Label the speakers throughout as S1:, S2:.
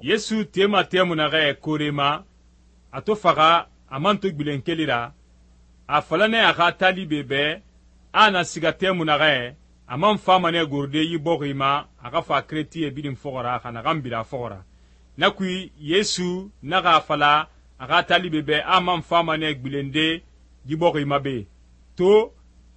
S1: Yesu tema temu naxɛ koore ma, a to faxa a man to gbilen keli ra, a fala nɛ a xa talibe bɛ a na siga temu naxɛ a man fama nɛ gorode yi bɔxi ma a xa fa keretie birin fɔxɔ ra xa naxan bira a fɔxɔ ra. Na kui Yesu naxa a fala a xa talibe bɛ a man fama nɛ gbilende yi bɔxi ma be. To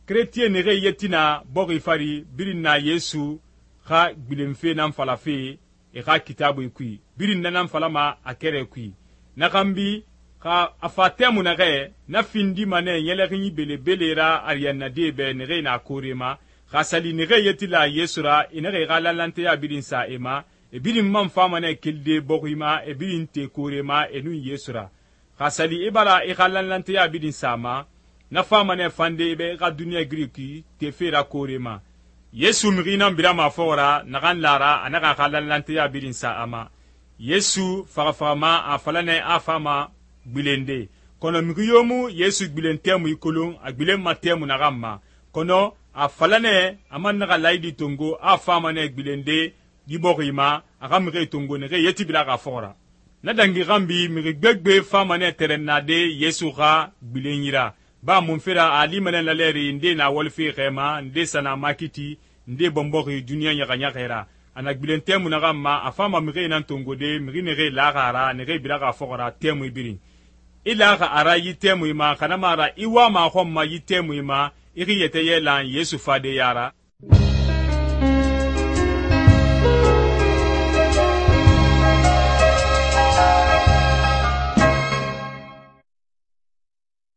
S1: keretie naxee yeti na bɔxi fari birin na Yesu xa gbilenfe nan falafe e xa kitaabui kui, birin na nan falama a kɛrɛ kui. Na xanbi xa a fa tɛmu naxɛ na findima nɛ ɲɛlɛxinyi belebele ra ariyannade bɛ naxee na koore ma, xa sali naxee yeti la Yesu ra e naxa e xa lanlanteya birin sa e ma, e birin man fama nɛ kelide bɔxi ma, e birin te koore ma e nun Yesu ra. Xa sali e bara e xa lanlanteya birin sa ma, na fama nɛ fande e bɛ e xa duniɲa giriki tefe ra koore ma. Yesu mixi nan birama a fɔxɔ ra naxan lara a naxa a xa lanlanteya birin sa a ma. Yesu faxafaxama a fala nɛ a fama gbilende, kɔnɔ mixi yo mu Yesu gbilen tɛmui kolon a gbilenma tɛmu naxan ma, kɔnɔ a fala nɛ a man naxa layidi tongo a fama nɛ gbilende yi bɔxi ma a xa mixie tongo naxe yeti biraxa a fɔxɔ ra. Na dangi xanbi mixi gbegbe fama nɛ tɛrɛnnade Yesu xa gbilenyi ra, ba munfe ra a lima nɛ lalɛri nde na walife xɛma, nde sa na makiti, nde bɔnbɔxi duniɲa ɲaxaɲaxɛ ra. A na gbilen tɛmu naxan ma a fama mixie nan tongode mixi naxe laxa a ra naxe biraxa a fɔxɔ ra tɛmui birin. I laxa a ra yi tɛmui ma xanama ra i wama a xɔn ma yi tɛmui ma i xi yɛtɛ yɛlan Yesu fadeya ra.